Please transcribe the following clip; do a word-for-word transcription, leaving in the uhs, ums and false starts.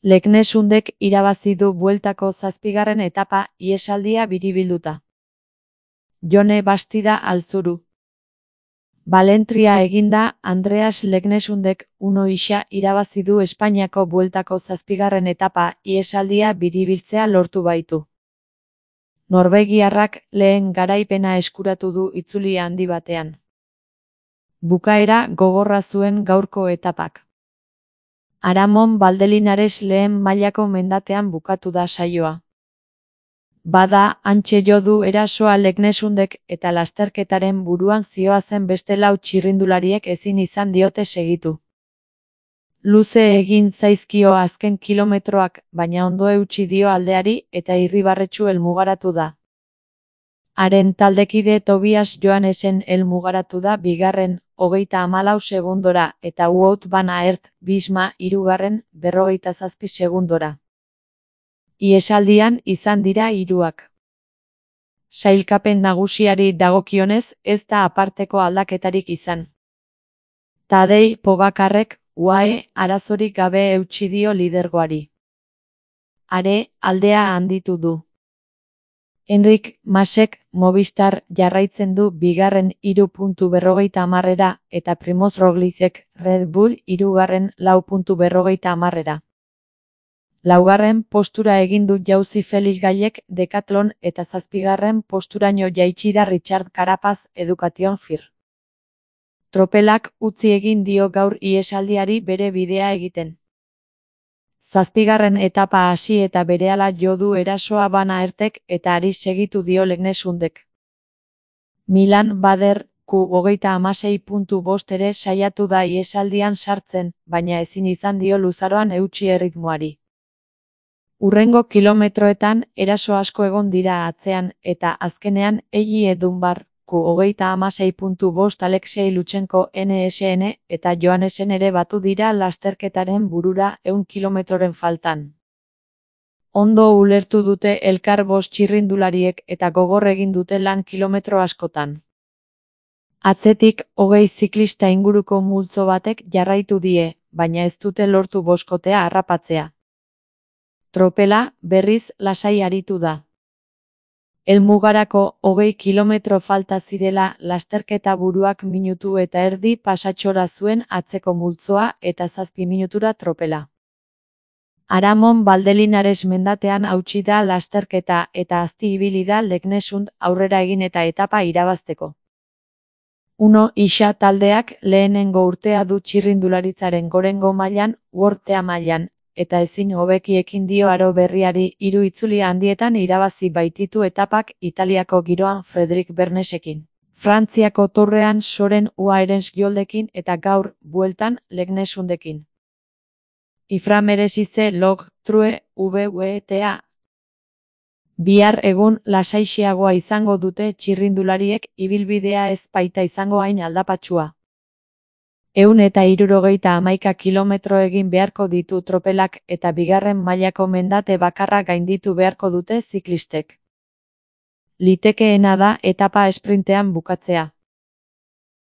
Leknesundek irabazi du bueltako zazpigarren etapa ihesaldia biribilduta. Jone Bastida Altzuru. Balentria eginda, Andreas Leknesundek uno isa irabazi du Espainiako bueltako zazpigarren etapa ihesaldia biribiltzea lortu baitu. Norvegiarrak lehen garaipena eskuratu du itzuli handi batean. Bukaera gogorra zuen gaurko etapak. Aramon Valdelinares lehen mailako mendatean bukatu da saioa. Bada, hantxe jo du erasoa Leknesundek eta lasterketaren buruan zihoazen beste lau txirrindulariek ezin izan diote segitu. Luze egin zaizkio azken kilometroak, baina ondo eutsi dio aldeari eta irribarretsu helmugaratu da. Haren taldekide Tobias Joannesen helmugaratu da bigarren, hogeita hamalau segundora, eta Wout van Aert, Visma, hirugarren, berrogeita zazpi segundora. Ihesaldian izan dira hiruak. Sailkapen nagusiari dagokionez, ez da aparteko aldaketarik izan. Tadej Pogacarrek, U A E, arazorik gabe eutsi dio lidergoari. Are, aldea handitu du. Enric Masek, Movistar, jarraitzen du bigarren hiru puntu berrogeita hamarrera, eta Primoz Roglicek, Red Bull, hirugarren lau puntu berrogeita hamarrera. Laugarren postura egin du jauzi Felix Gailek Decathlon eta zazpigarren posturaino jaitsi da Richard Carapaz Education Fir. Tropelak utzi egin dio gaur ihesaldiari bere bidea egiten. Zazpigarren etapa hasi eta berehala jo du erasoa Van Aertek eta ari segitu dio Leknesundek. Milan Bader, Q hogeita hamasei puntu bost ere saiatu da ihesaldian sartzen, baina ezin izan dio luzaroan eutsi erritmoari. Hurrengo kilometroetan eraso asko egon dira atzean eta azkenean Elie Dunbar, Q hogeita hamasei puntu bost Alexei Lutsenko N S N eta Joannesen ere batu dira lasterketaren burura ehun kilometroren faltan. Ondo ulertu dute elkar bost txirrindulariek eta gogor egin dute lan kilometro askotan. Atzetik hogei ziklista inguruko multzo batek jarraitu die, baina ez dute lortu boskotea harrapatzea. Tropela, berriz, lasai aritu da. Helmugarako hogei kilometro falta zirela lasterketa buruak minutu eta erdi pasatxora zuen atzeko multzoa eta zazpi minutura tropela. Aramon Valdelinares mendatean hautsi da lasterketa eta azti ibili da Leknesund aurrera egin eta etapa irabazteko. Uno isa taldeak lehenengo urtea du txirrindularitzaren gorengo mailan, Worldtea mailan, eta ezin hobeki ekin dio aro berriari hiru itzuli handietan irabazi baititu etapak Italiako giroan Fredrik Bernesekin, Frantziako Tourrean Soren Uaerensjoldekin eta gaur, bueltan, Leknesundekin. Iframeresize log, true, V W T A. Bihar egun lasaixeagoa izango dute txirrindulariek ibilbidea ez baita izango hain aldapatsua. Ehun eta hirurogeita hamaika kilometro egin beharko ditu tropelak eta bigarren mailako mendate bakarra gainditu beharko dute ziklistek. Litekeena da etapa esprintean bukatzea.